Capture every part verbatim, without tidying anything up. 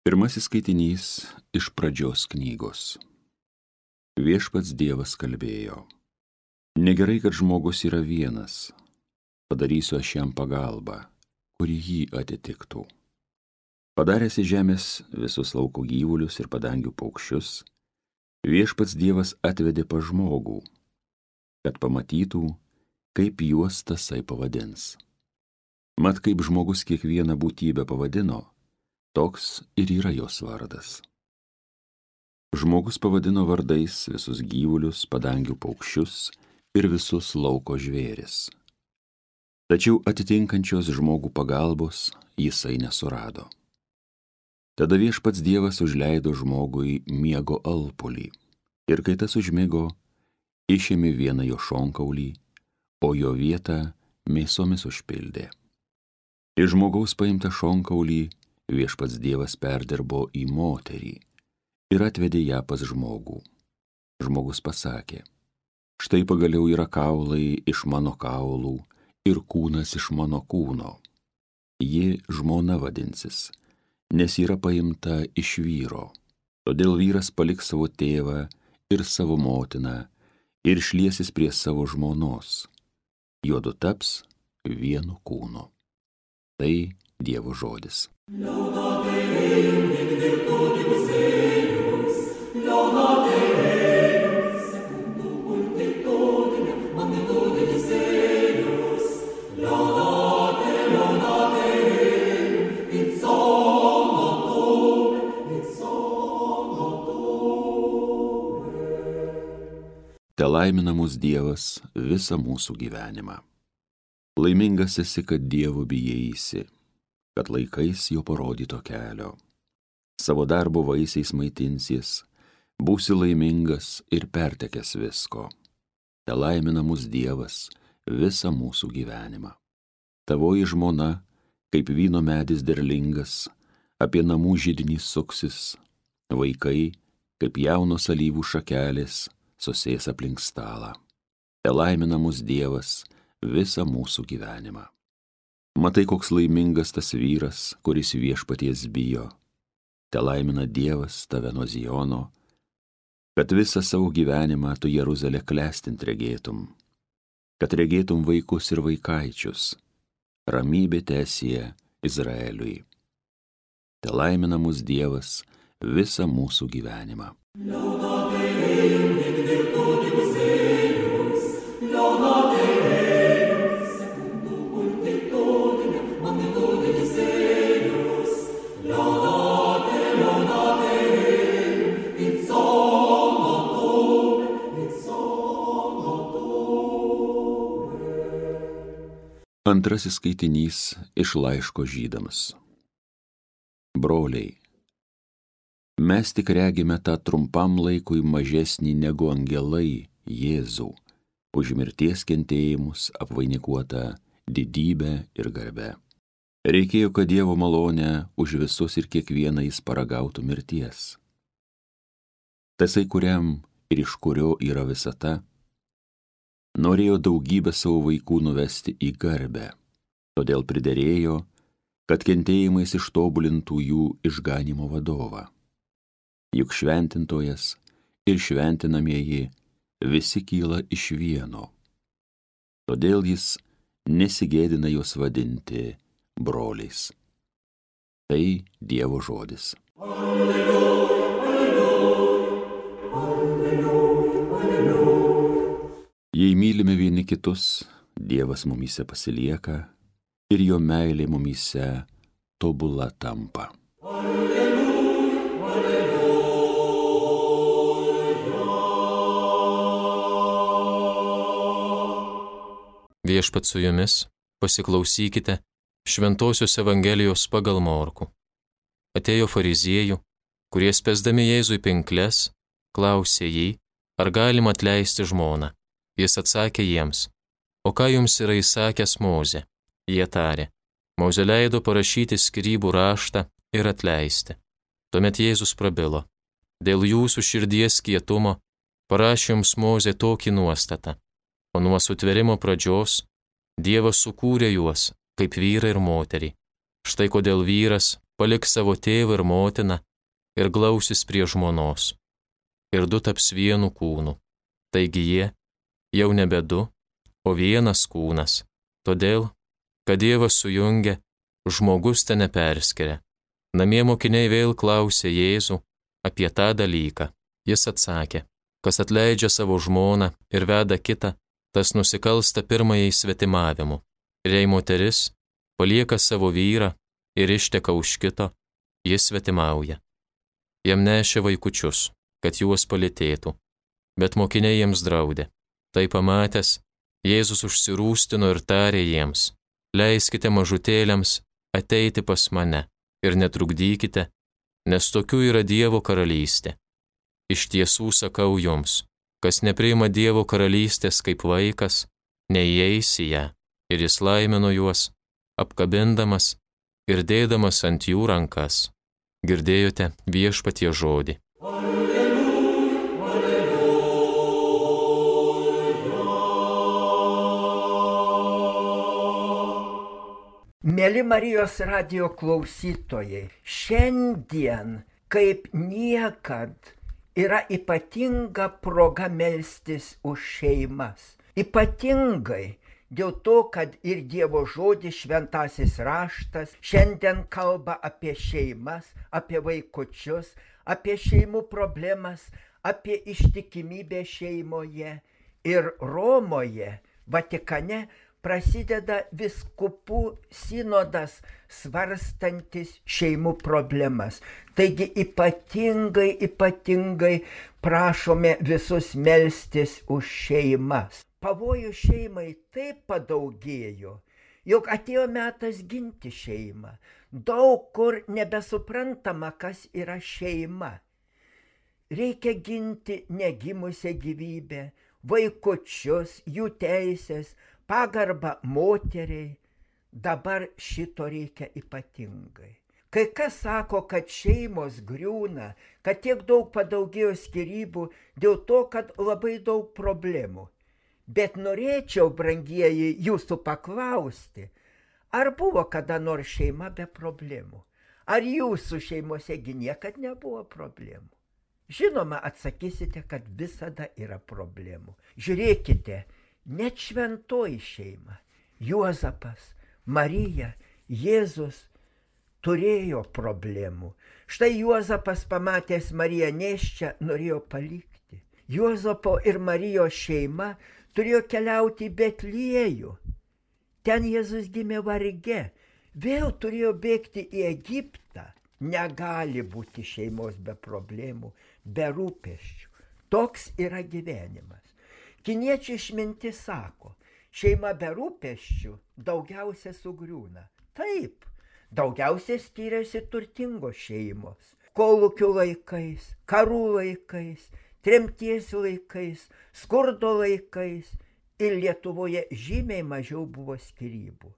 Pirmasis skaitinys iš Pradžios knygos. Viešpats Dievas kalbėjo: Negerai, kad žmogus yra vienas. Padarysiu aš jam pagalbą, kuri jį atitiktų. Padaręs į žemės visus lauko gyvulius ir padangių paukščius, Viešpats Dievas atvedė pas žmogų, kad pamatytų, kaip juos tasai pavadins. Mat, kaip žmogus kiekvieną būtybę pavadino, toks ir yra jos vardas. Žmogus pavadino vardais visus gyvulius, padangių paukščius ir visus lauko žvėris. Tačiau atitinkančios žmogų pagalbos jisai nesurado. Tada Viešpats Dievas užleido žmogui miego alpulį, ir kai tas užmigo, išėmė vieną jo šonkaulį, o jo vietą mėsomis užpildė. Iš žmogaus paimtą šonkaulį Viešpats Dievas perdirbo į moterį ir atvedė ją pas žmogų. Žmogus pasakė: Štai pagaliau yra kaulai iš mano kaulų ir kūnas iš mano kūno. Ji žmona vadinsis, nes yra paimta iš vyro. Todėl vyras paliks savo tėvą ir savo motiną ir šliesis prie savo žmonos. Juodu taps vienu kūnu. Tai Dievo žodis. Laudate Deum in virtutibus eius, laudate eius, secundum multitudinem magnitudis eius, laudate, laudate Deum, in somno tuum, in somno tuum. Telaimina mus Dievas visą mūsų gyvenimą. Laimingas esi, kad Dievo bijaisi, kad laikais jo parodyto kelio. Savo darbo vaisiais maitinsies, būsi laimingas ir pertekęs visko. Telaimina mus Dievas visą mūsų gyvenimą. Tavoji žmona, kaip vyno medis derlingas, apie namų židinį suksis, vaikai, kaip jaunos alyvų šakelės, susės aplink stalą. Telaimina mus Dievas visą mūsų gyvenimą. Matai, koks laimingas tas vyras, kuris Viešpaties bijo. Telaimina Dievas tave nuo Ziono, kad visą savo gyvenimą tu Jeruzalę klestint regėtum, kad regėtum vaikus ir vaikaičius. Ramybė teesie Izraeliui. Telaimina mus Dievas visą mūsų gyvenimą. Laudate Deum in virtutibus eius, laudate Deum, secundum multitudinem magnitudis eius, laudate, laudate Deum, in somno tuum, in somno tuum. Antrasis skaitinys iš laiško Žydams. Broliai, mes tik regime tą trumpam laikui mažesnį negu angelai Jėzų, už mirties kentėjimus apvainikuotą didybę ir garbę. Reikėjo, kad Dievo malonę už visus ir kiekvieną jis paragautų mirties. Tasai, kuriam ir iš kurio yra visata, norėjo daugybę savo vaikų nuvesti į garbę, todėl priderėjo, kad kentėjimais ištobulintų jų išganymo vadovą. Juk šventintojas ir šventinamieji visi kyla iš vieno. Todėl jis nesigėdina juos vadinti broliais. Tai Dievo žodis. Alleluja, alleluja, alleluja, alleluja. Jei mylime vieni kitus, Dievas mumyse pasilieka ir jo meilė mumyse tobula tampa. Viešpats su jumis, pasiklausykite Šventosios Evangelijos pagal Morkų. Atėjo fariziejų, kurie spęsdami Jėzui pinkles, klausė jį, ar galima atleisti žmoną. Jis atsakė jiems: O ką jums yra įsakęs Mozė? Jie tarė: Mozė leido parašyti skyrybų raštą ir atleisti. Tuomet Jėzus prabilo: Dėl jūsų širdies kietumo parašė jums Mozė tokį nuostatą. O nuo sutvėrimo pradžios Dievas sukūrė juos kaip vyrą ir moterį. Štai kodėl vyras paliks savo tėvą ir motiną ir glausis prie žmonos. Ir du taps vienu kūnu. Taigi jie jau nebe du, o vienas kūnas. Todėl, kad Dievas sujungia, žmogus te neperskiria. Namie mokiniai vėl klausė Jėzų apie tą dalyką. Jis atsakė, kas atleidžia savo žmoną ir veda kitą, tas nusikalsta pirmajai svetimavimu. Ir jei moteris palieka savo vyrą ir išteka už kito, jis svetimauja. Jam nešė vaikučius, kad juos palytėtų, bet mokiniai jiems draudė. Tai pamatęs, Jėzus užsirūstino ir tarė jiems, leiskite mažutėliams ateiti pas mane ir netrukdykite, nes tokių yra Dievo karalystė. Iš tiesų sakau jums, kas nepriima Dievo karalystės kaip vaikas, neįeis į ją. Ir jis laimino juos, apkabindamas ir dėdamas ant jų rankas. Girdėjote Viešpatie žodį. Mėly Marijos radijo klausytojai, šiandien kaip niekad yra ypatinga proga melstis už šeimas. Ypatingai dėl to, kad ir Dievo žodis šventasis raštas šiandien kalba apie šeimas, apie vaikučius, apie šeimų problemas, apie ištikimybę šeimoje. Ir Romoje, Vatikane, prasideda vyskupų sinodas svarstantis šeimų problemas. Taigi ypatingai, ypatingai prašome visus melstis už šeimas. Pavojų šeimai taip padaugėjo, jog atėjo metas ginti šeimą. Daug kur nebesuprantama, kas yra šeima. Reikia ginti negimusią gyvybę, vaikučius, jų teisės, pagarbą moteriai. Dabar šito reikia ypatingai. Kai kas sako, kad šeimos griūna, kad tiek daug padaugėjo skyrybų dėl to, kad labai daug problemų. Bet norėčiau, brangieji, jūsų paklausti, ar buvo kada nors šeima be problemų? Ar jūsų šeimosegi niekad nebuvo problemų? Žinoma, atsakysite, kad visada yra problemų. Žiūrėkite, net šventoji šeima, Juozapas, Marija, Jėzus turėjo problemų. Štai Juozapas pamatęs Mariją nėščią norėjo palikti. Juozapo ir Marijos šeima turėjo keliauti į Betliejų. Ten Jėzus gimė varge. Vėl turėjo bėgti į Egiptą. Negali būti šeimos be problemų, be rūpesčių. Toks yra gyvenimas. Kiniečių išmintis sako, šeima be rūpesčių daugiausia sugriūna. Taip, daugiausia skiriasi turtingos šeimos. Kolūkių laikais, karų laikais, tremties laikais, skurdo laikais ir Lietuvoje žymiai mažiau buvo skyrybų.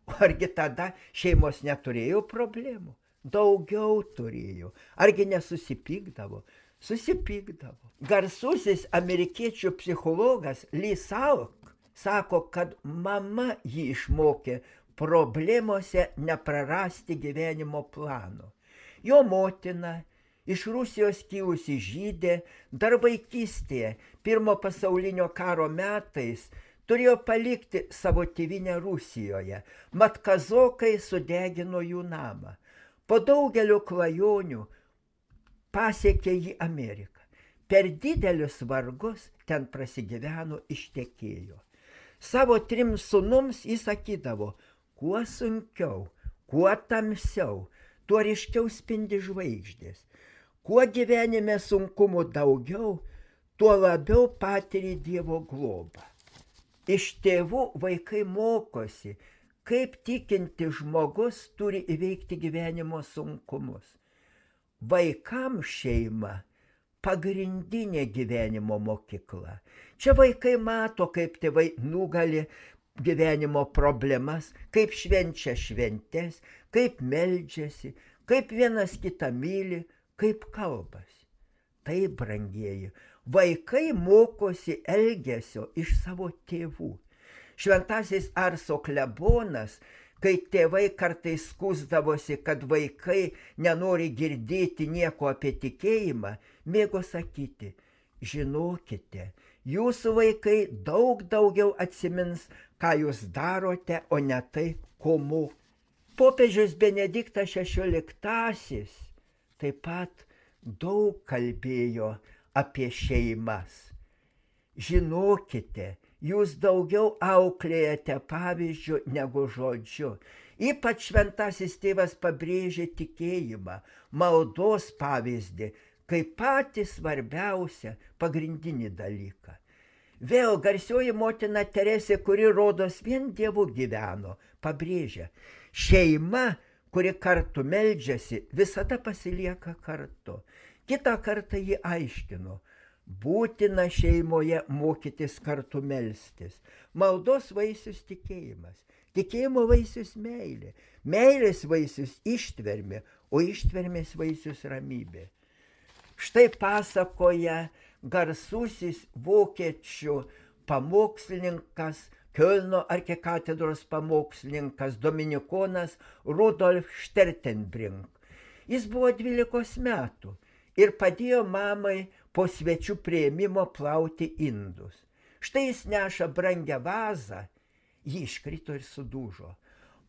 O argi tada šeimos neturėjo problemų? Daugiau turėjo. Argi nesusipykdavo? Susipykdavo. Garsusis amerikiečių psichologas Lee Salk sako, kad mama jį išmokė problemose neprarasti gyvenimo plano. Jo motina, iš Rusijos kilusi žydė, dar vaikystėje, pirmo pasaulinio karo metais, turėjo palikti savo tėvynę Rusijoje. Mat kazokai sudegino jų namą. Po daugelio klajonių pasiekė jį Ameriką. Per didelius vargus ten prasigyveno, ištekėjo. Savo trim sūnums jis sakydavo, kuo sunkiau, kuo tamsiau, tuo ryškiau spindi žvaigždės. Kuo gyvenime sunkumų daugiau, tuo labiau patiri Dievo globą. Iš tėvų vaikai mokosi, kaip tikinti žmogus turi įveikti gyvenimo sunkumus. Vaikams šeima pagrindinė gyvenimo mokykla. Čia vaikai mato, kaip tėvai nugali gyvenimo problemas, kaip švenčia šventes, kaip meldžiasi, kaip vienas kitą myli, kaip kalbasi. Tai, brangieji, vaikai mokosi elgesio iš savo tėvų. Šventasis Arso klebonas kai tėvai kartais skųsdavosi, kad vaikai nenori girdėti nieko apie tikėjimą, mėgo sakyti, žinokite, jūsų vaikai daug daugiau atsimins, ką jūs darote, o ne tai, ko moko. Popiežius Benediktas šešioliktasis taip pat daug kalbėjo apie šeimas. Žinokite, jūs daugiau auklėjate pavyzdžiu negu žodžiu. Ypač šventasis tėvas pabrėžė tikėjimą, maldos pavyzdį, kaip patį svarbiausią pagrindinį dalyką. Vėl garsioji motina Teresė, kuri rodos vien Dievu gyveno, pabrėžia, šeima, kuri kartu meldžiasi, visada pasilieka kartu. Kitą kartą ji aiškino, būtina šeimoje mokytis kartu melstis. Maldos vaisius tikėjimas, tikėjimo vaisius meilė, meilės vaisius ištvermė, o ištvermės vaisius ramybė. Štai pasakoja garsusis vokiečių pamokslininkas, Kiolno arkikatedros pamokslininkas, dominikonas Rudolf Stertenbrink. Jis buvo dvylikos metų ir padėjo mamai po svečių priėmimo plauti indus. Štai jis neša brangią vazą, ji iškrito ir sudužo.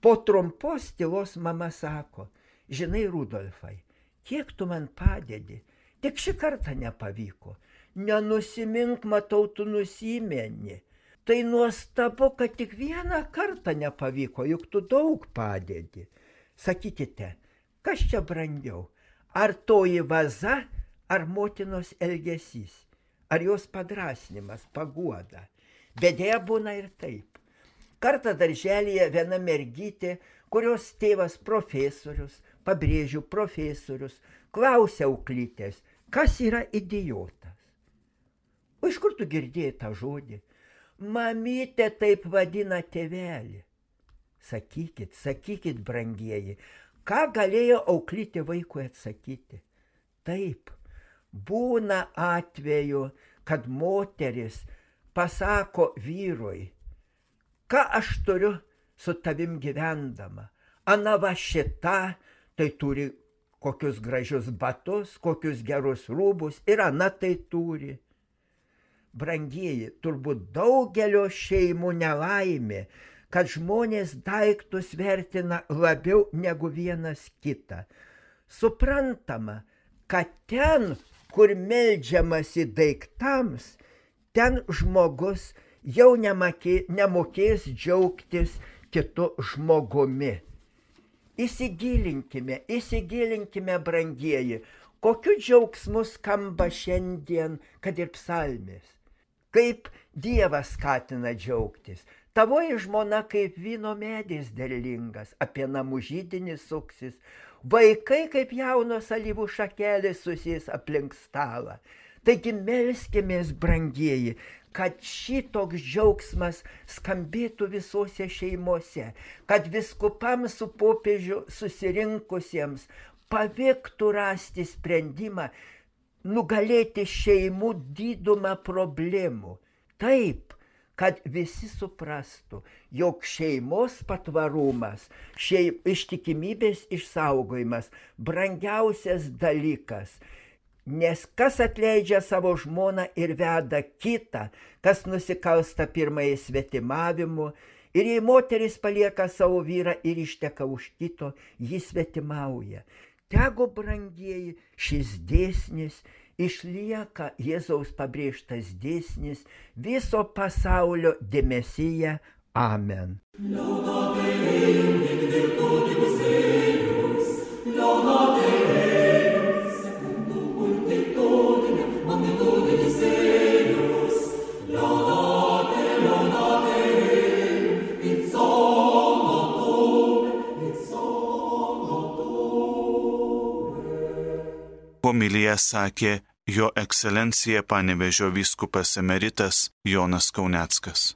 Po trumpos tylos mama sako, žinai, Rudolfai, kiek tu man padedi, tik šį kartą nepavyko. Nenusimink, matau, tu nusimeni. Tai nuostabu, kad tik vieną kartą nepavyko, juk tu daug padedi. Sakykite, kas čia brangiau? Ar toji vaza, ar motinos elgesys? Ar jos padrasnimas, paguoda? Bet dėja būna ir taip. Kartą darželyje viena mergytė, kurios tėvas profesorius, pabrėžiu profesorius, klausia auklytės, kas yra idiotas. O iš kur tu girdėjai tą žodį? Mamytė taip vadina tėvelį. Sakykit, sakykit, brangieji, ką galėjo auklytė vaikui atsakyti? Taip, būna atveju, kad moteris pasako vyrui, ką aš turiu su tavim gyvendama. Ana va šita, tai turi kokius gražius batus, kokius gerus rūbus, ir ana tai turi. Brangieji, turbūt daugelio šeimų nelaimė, kad žmonės daiktus vertina labiau negu vienas kitą. Suprantama, kad ten, kur meldžiamasi daiktams, ten žmogus jau nemakė, nemokės džiaugtis kitu žmogumi. Įsigilinkime, įsigilinkime, brangieji, kokiu džiaugsmu skamba šiandien, kad ir psalmės. Kaip Dievas skatina džiaugtis. Tavoji žmona kaip vyno medis derlingas, apie namų židinį suksis. Vaikai kaip jaunos alyvų šakelės susės aplink stalą. Taigi melskimės, brangieji, kad šitoks džiaugsmas skambėtų visose šeimose, kad viskupams su popiežiu susirinkusiems pavyktų rasti sprendimą, nugalėti šeimų didumą problemų. Taip, kad visi suprastų, jog šeimos patvarumas, šeim, ištikimybės išsaugojimas brangiausias dalykas. Nes kas atleidžia savo žmoną ir veda kitą, kas nusikalsta pirmąjį svetimavimu, ir jei moteris palieka savo vyrą ir išteka už kito, jis svetimauja. Tegu, brangieji, šis dėsnis išlieka Jėzaus pabrėžtas dėsnis viso pasaulio dėmesyje. Amen. Homiliją sakė Jo ekscelencija Panevėžio vyskupas emeritas Jonas Kauneckas.